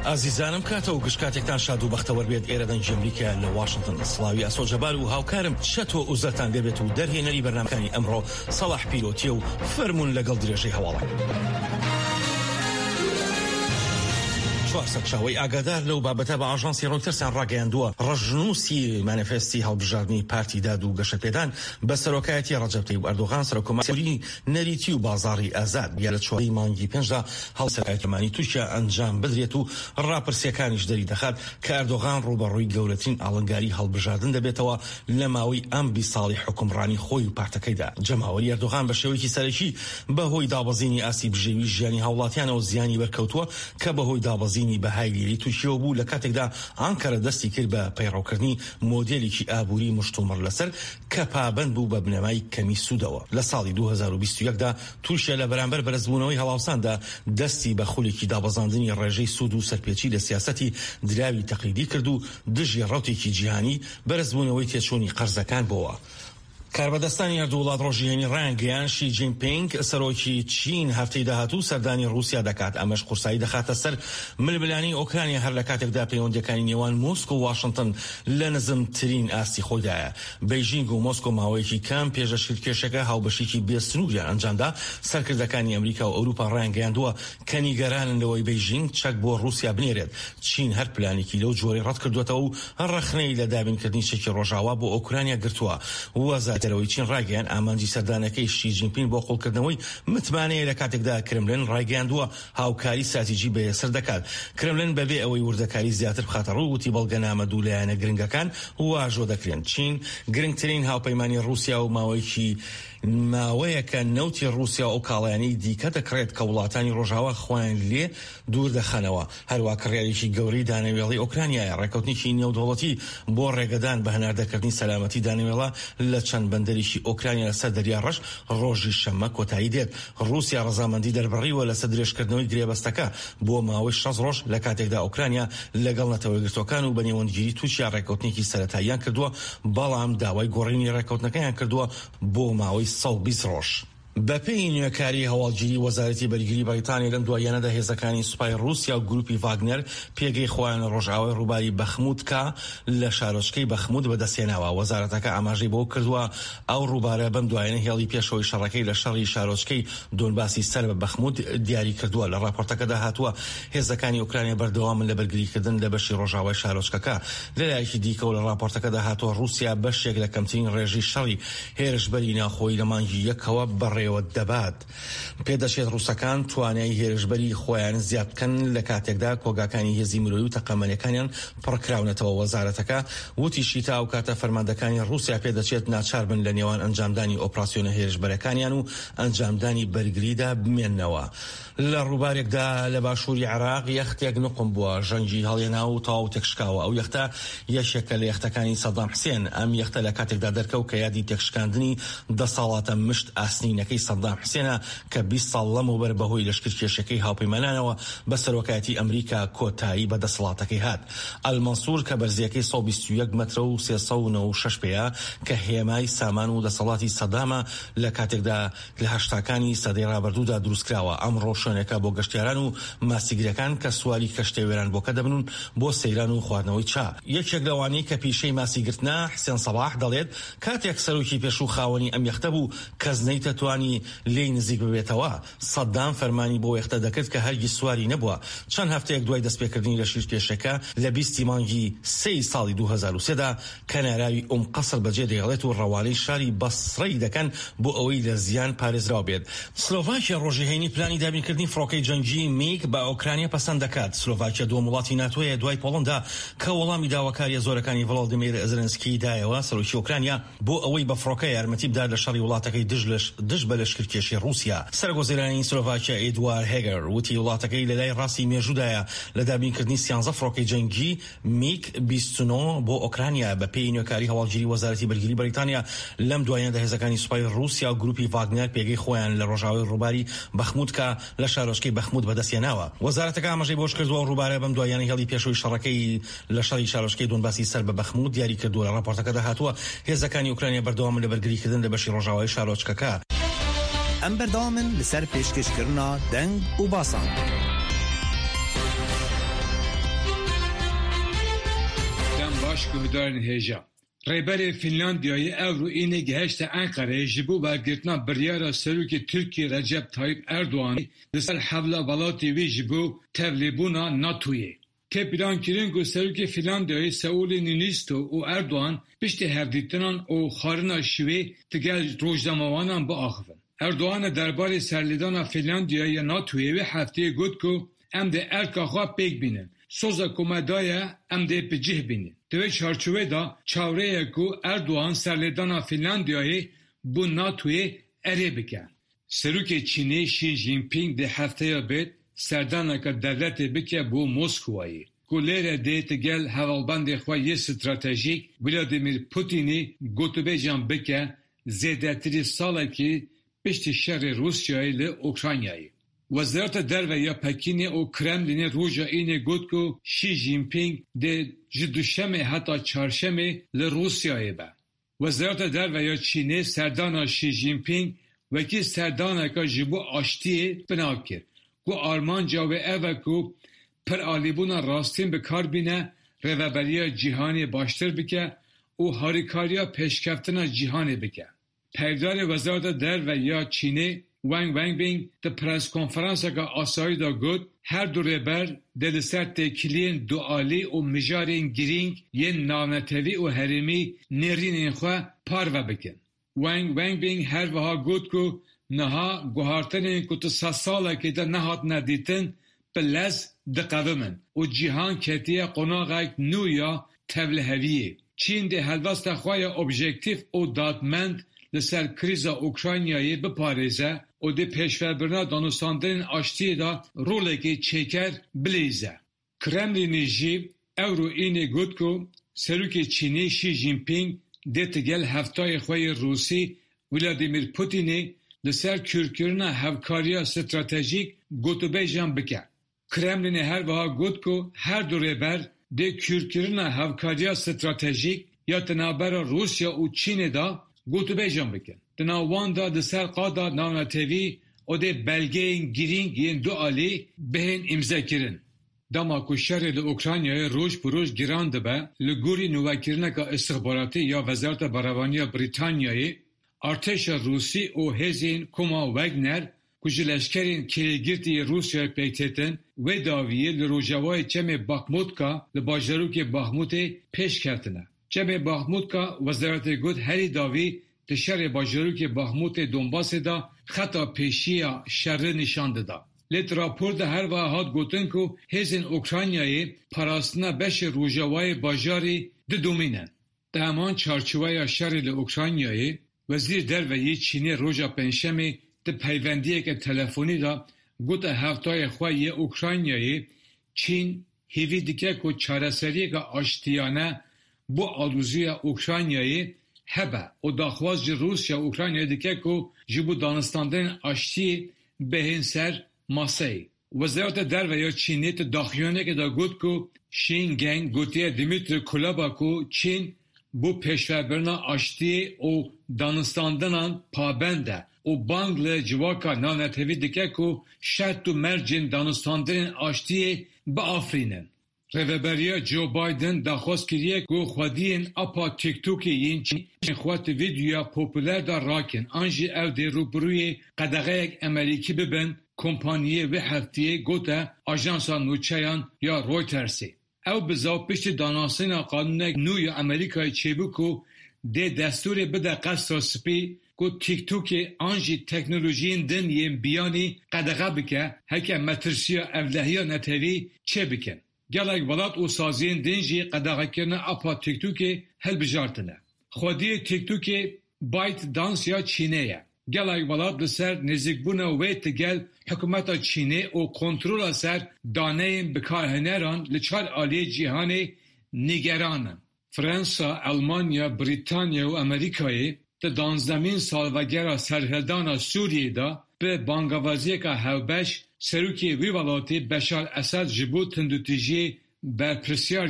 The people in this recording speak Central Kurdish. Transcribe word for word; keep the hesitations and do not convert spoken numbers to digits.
ئازیزانم، کاتە و گشت کاتێکتان شاد و بەختەوەر بێت. ئێرە دەنگی ئەمریکا لە واشنتن. سڵاوی ئاسۆ جەبار و هاوکارم چەتۆ ئوزەرتان دەبێت و دەرهێنەری بەرنامەکانی ئەمڕۆ سەڵاح پیرۆتیە و فەرمونون لەگەڵ درێژەی هەواڵە. چوار سەرچاوەی ئاگادار لەو بابەتە بە ئاژانسی ڕۆیتەرسیان ڕاگەیاندووە، ڕەشنووسی مانیفێستی هەڵبژاردنی پارتی داد و گەشەپێدان بە سەرۆکایەتی ڕەجەب تەیب ئەردۆغان سەرۆککۆماری نەریتی و بازاڕی ئازاد یا لە چواری مانگی پێنجدا هەڵسەرۆکایەتی تورکیا ئەنجام بدرێت و ڕاپرسیەکانیش دەری دەخات کە ئەردۆغان ڕووبەڕووی گەورەترین ئاڵنگاری هەڵبژاردن دەبێتەوە لە ماوەی ئەم بیست ساڵی حوکمڕانی خۆی و پارتەکەیدا. جەماوەری ئەردۆغان بە شێوەیەکی سەرەکی بەهۆی دابەزینی ئاستی بژێوی ژیانی هاوڵاتیانەوە زیانی بەرکەوتووە کە بەهۆی دابەزینی بەهای لیرەی تورکیەوە بوو، لە کاتێکدا ئانکەرە دەستی کرد بە پەیڕەوکردنی مۆدێلێکی ئابووری مشتومڕ لەسەر کە پابەند بوو بە بنەمای کەمی سوودەوە. لە ساڵی دوو هەزار و بیست و یەک دا تورکیا لە بەرامبەر بەرزبوونەوەی هەڵاوساندا دەستی بە خولێکی دابەزاندنی ڕێژەی سوود و سەرپێچی لە سیاسەتی دراوی تەقلیدی کرد و دژی ڕەوتێکی جیهانی بەرزبوونەوەی تێچوونی قەرزەکان بووە. کاربەدەستانی هەردوو وڵات ڕۆژی هەینی ڕایانگەیاند شی جینپینگ سەرۆکی چین هەفتەی داهاتوو سەردانی ڕووسیا دەکات، ئەمەش قورسایی دەخاتە سەر ململانێی ئۆکرانیا هەر لە کاتێکدا پەیوەندیەکانی نێوان مۆسکۆ و واشنتن لە نزمترین ئاستی خۆیدایە. بەیژینگ و مۆسکۆ ماوەیەکی کەم پێش لەشکرکێشەکە هاوبەشێکی بێسنووریان ئەنجامدا. سەرکردەکانی ئەمریکا و ئەوروپا ڕایانگەیاندووە کە نیگەرانن لەوەی بەیژینگ چەک بۆ ڕووسیا بنێرێت. چین هەر پلانێکی لەو جۆرەی ڕەتکردووەتەوە و ڕەخنەی لە دابینکردنی چەکی ڕۆژاوا بۆ ئۆکرانیا گرتووە. وەزارەتی دەرەوەی چین ڕایگەیاند ئامانجی سەردانەکەی شی جینپینگ بۆ قوڵکردنەوەی متمانەیە، لە کاتێکدا کرملن ڕایگەیاندووە هاوکاری ستراتیژی بەهێزتر دەکات. کرملن بەبێ ئەوەی وردەکاری زیاتر بخاتە ڕوو وتی بەڵگەنامە دوو لایەنە گرنگەکان واژۆ دەکرێن. چین گرنگترین هاوپەیمانی ڕووسیا و ماوەیەکی ماوەیەکە نەوتی ڕووسیا و ئەو کاڵایانەی دیکە دەکڕێت کە وڵاتانی ڕۆژاوا خۆیان لێ دوور دەخەنەوە. هەروە کڕیارێکی گەورەی دانەوێڵەی ئۆکرانیایە. ڕێکەوتنێکی نێودەوڵەتی بۆ ڕێگەدان بە هەناردەکردنی سەلامەتی دانەوێڵە لە چەند بەندەرێکی ئۆکرانیا لەسەر دەریا ڕەش ڕۆژی شەممە کۆتایی دێت. ڕووسیا ڕەزامەندی دەربڕیوە لەسەر درێژکردنەوەی گرێبەستەکە بۆ ماوەی شەست ڕۆژ، لە کاتێکدا ئۆکرانیا لەگەڵ نەتەوە یەکگرتووەکان و بە نێوەندگیری تورکیا ڕێکەوتنێکی سەرەتاییان کردووە، بەڵام داوای گۆڕینی ڕێکەوتنەکەیان کردووە بۆ ماوەی سەد و بیست ڕۆژ. بەپێی نوێکاری هەواڵگیری وەزارەتی بەرگری بەریتانیا لەم دواییانەدا هێزەکانی سوپای ڕووسیا و گروپی ڤاگنەر پێگەی خۆیان لە ڕۆژئاوای ڕووباری بەخموتکا لە شارۆچکەی بەخموت بەدەستهێناوە. وەزارەتەکە ئاماژەی بەوە کردووە ئەو ڕووبارە بەم دوایانە هێڵی پێشەوەی شەڕەکەی لە شەڕی شارۆچکەی دۆنباسی سەر بە بەخموت دیاری کردووە. لە ڕاپۆرتەکەدا هاتووە هێزەکانی ئۆکرانیا بەردەوامن لە بەرگریکردن لە بەشی ڕۆژاوای شارۆچکەکە. لەلایەکی دیکەوە لە ڕاپۆرتەکەدا هاتووە ڕووسیا بەشێک لە کەمترین ڕێژەی شەڕی هێرشبەری ناوخۆیی لە مانگی یەکەوە بەڕێوە دەبات. پێدەچێت ڕووسەکان توانای هێرشبەری خۆیان زیاد بکەن لە کاتێکدا کۆگاکانی هێزی مرۆیی و تەقەمەنیەکانیان پڕکراونەتەوە. وەزارەتەکە وتیشی تا ئەو کاتە فەرماندەکانی ڕووسیا پێدەچێت ناچار بن لە نێوان ئەنجامدانی ئۆپراسیۆنە هێرشبەرەکانیان و ئەنجامدانی بەرگریدا بمێننەوە. لە ڕووبارێکدا لە باشووری عێراق یەختێک نقم بووە، ژەنگی هەڵێنا و تەواو تێکشکاوە. ئەو یەختە یەکێکە لە یەختەکانی سەدام حسێن. ئەم یەختە لە کاتێکدا دەرکەوت کە یادی تێکشکاندنی دەسەڵاتە مشت ئاسنینەکەی سەدام حسێنە کە بیست ساڵ لەمەوبەر بەهۆی لەشکرکێشەکەی هاوپەیمانانەوە بە سەرۆکایەتی ئەمریکا کۆتایی بە دەسەڵاتەکەی هات. ئەلمەنسوور کە بەرزیەکەی سەد و بیست و یەک مەترە و سێ سەد و نەوەد و شەش پێیە کە هێمای سامان و دەسەڵاتی سەدامە لە کاتێکدا لە هەشتاکانی سەدەی ڕابردوودا دروستکراوە. ئەمڕۆ شوێنێکە بۆ گەشتیاران و ماسیگرەکان کە سواری کەشتێ وێرانبووەکە دەبن و بۆ سەیران و خواردنەوەی چا. یەکێک لەوانەی کە پیشەی ماسیگرتنە، حسێن سەباح، دەڵێت کاتێک سەرۆکی پێشوو خاوەنی ئەم یەختە بوو کەس نەیتەتوانی لێی نزیک ببێتەوە. سەدام فەرمانی بۆ یەختە دەکرد کە هەرگیز سواری نەبووە. چەند هەفتەیەک دوای دەستپێکردنی لە شیرکێشەکە لە بیستی مانگی سێی ساڵی دوو هەزار و سێدا کەناراوی ئوم قەسر بەجێ دەهێڵێت و ڕەوانەی شاری بەسرەی دەکەن بۆ ئەوەی لە زیان پارێزراو بێت. سلۆڤاکیا ڕۆژی هەینی پلانی دابینکردنی فڕۆکەی جەنگی میگ بە ئۆکرانیا پەسەند دەکات. سلۆڤاکیا دووەم وڵاتی ناتۆیە دوای پۆڵندا کە وەڵامی داواکاریە زۆرەکانی ڤلادیمیر زێلێنسکی دایەوە سەرۆکی ئۆکرانیا بۆ ئەوەی بە فڕۆکە یارمەتی بدات لە شەڕی وڵاتەکەی دژ بە لەشکرکێشی ڕووسیا. سەرۆک وەزیرانی سلۆڤاکیا ئێدوار هێگەر وتی وڵاتەکەی لە لای ڕاستی مێژوودایە لە دابینکردنی سیانزە فڕۆکەی جەنگی میگ بیست و نۆ بۆ ئۆکرانیا. بە پێی نوێکاری هەواڵگیری وەزارەتی بەرگری بەریتانیا لەم دوایاندا هێزەکانی سوپای ڕووسیا و گروپی ڤاگنەر پێگەی خۆیان لە ڕۆژاوای ڕووباری بەخموتکا لە شارۆچکەی بەخموت بەدەستهێناوە. وەزارەتەکە ئاماژەی بەوەش کردووە ئەو ڕووبارە بەم دواییانە هێڵی پێشەوەی شەڕەکەی لە شەڕی شارۆچکەی دۆنباسی سەر بە بەخموت دیاری کردووە. لە ڕاپۆرتەکەدا هاتووە هێزەکانی ئۆکرانیا بەردەوامن لە بەرگریکردن لە بەشی ڕۆژاوای شارۆچکەکە. ئەم بەردەوامن لەسەر پێشکەشکردنا دەنگ و باسان. Baş guhdarên hêja. Rêberê Fînlandiyayê îro înê gihîşte Enqereyê ji bo wergirtina biryara Serokê Tirkiyê Recep Tayyip Erdoğan li ser hewla welatê wî ji bo tevlîbûna NATOyê. Tê plankirin ku Serokê Fînlandiyayê Sauli Niinistö û Erdoğan piştî hevdîtinan û xwarina şevê digel rojnamevanan biaxivin. Erdoğan derbarê serlêdana Fînlandiyayê ya NATOyê wê hefteyê got ku em dê erka xwe pêk bînin. Soza ku me daye em dê bi cih bînin. Di wê çarçoveyê de çaverê ye ku Erdoğan serlêdana Fînlandiyayê bo NATOyê erê bike. Serokê Çînê Xi Jinping dê hefteya bê serdaneke dewletê bike bo Moskowayê ku lêre dê digel hevalbendê xwe yê stratejîk Vladimir Putinê gotûbêjan bike zêdetirî salekê piştî şerê Rûsyayê li Ukraynayê. Wezareta Derve ya Pekînê û Kremlînê roja înê got ku Xi Jinping dê ji duşemê heta çarşemê li Rûsyayê be. Wezareta Derve ya Çînê serdana Xi Jinping wekî serdaneke ji bo aştiyê binav kir ku armanca wê ev e ku piralîbûna rastîn bi kar bîne, rêveberiya cîhanê baştir bike û harîkariya pêşkeftina cîhanê bike. Peyvdarê Wezareta Derve ya Çînê Wang Wenbin di preskonferanseke asayî de got her du rêber dê li ser têkiliyên dualî û mijarên girîng yên navnetewî û herêmî nêrînên xwe parve bikin. Wang Wenbin her wiha got ku niha guhartinên ku di sed salekê de nehatine dîtin bi lez diqewimin û cîhan ketiye qonaxek nû ya tevliheviyê. Çîn dê helwesta xwe ya objektîf û dadmend li ser krîza Ukraynayê biparêze û dê pêşvebirina danûstandinên aştiyê de rolekê çêker bilîze. Kremlînê jî îro înê got ku Serokê Çînê Xi Jinping dê digel hevtayê xwe yê Rûsî Vladimir Putinê li ser kûrkirina hevkariya stratejîk gotûbêjan bike. Kremlînê her wiha got ku her du rêber dê kûrkirina hevkariya stratejîk ya di navbera Rûsya û Çînê de gotûbêjan bikin. Di nav wan de li ser qada navnetewî û dê belgeyên girîng yên du alî bihên îmzekirin. Dema ku şerê li Ukraynayê roj bi roj giran dibe, li gorî nûvekirineke îstixbaratî ya Wezareta Berevaniya Brîtanyayê, artêşa Rûsî û hêzên Koma Wagner ku ji leşkerên kirêgirtî yê Rûsyayê pêk têtin, wê dawiyê li rojavayê Çemê Baxmutka li bajarokê Baxmutê pêş ketine. Çemê Baxmutka wezaretê got herî dawî di şerê bajarokê Baxmutê Donbasê de xeta pêşiya şerê nîşan dida. Lê di rapor de her wiha hat gotin ku hêzên Ukraynayê parastina beşê rojavayê bajarî didomînin. Di heman çarçoveya şerê li Ukraynayê, Wezîrê Derve yê Çînê roja Pêncşemê di peywendiyeke telefonî de gote hevtayê xwe yê Ukraynayê Çîn hêvî dike ku çareseriyeke aştiyane bo aloziya Ukraynayê hebe û daxwaz ji Rûsya û Ukraynayê dike ku ji bo danûstandinên aştiyê bihên ser maseyê. Wezareta Derve ya Çînê di daxuyaniyekê de got ku Qin Gang gotiye Dmitry Kuleba ku Çîn bo pêşvebirina aştiyê û danûstandinan pabend e û bang li civaka navnetewî dike ku şert û mercên danûstandinên aştiyê biafirînin. Rêveberiya Joe Biden daxwaz kiriye ku xwediyên apa TikTokê yên Çînê xwe di vîdeoya populer de rakin an jî ew dê rûbirûyê qedexeyek Amerîkî bibin kompaniyê wê hefteyê gote ajansa nûçeyan ya Reutersê. Ew bizav piştî danasîna qanûnek nû ya Amerîkayê çêbû ku dê destûrê bide Qesra Spî ku TikTokê an jî teknolojiyên din yên biyanî qedexe bike heke metirsiya ewlehiya netewî çêbikin. Gelek welat û saziyên din jî qedexekirina apa TikTokê hilbijartine. Xwediyê TikTokê ByteDance ya Çînê ye. Gelek welat li ser nêzîkbûna wê digel hikûmeta Çînê û kontrola ser daneyên bikarhêneran li çar aliyê cîhanê nîgeran in. Fransa, Elmanya, Brîtanya û Amerîkayê di danzdemîn salvegera serhildana Sûriyê de bi bangawaziyeke hevbeş Serokê wî welatî Beşar Esed ji bo tundûtûjiyê berpirsyar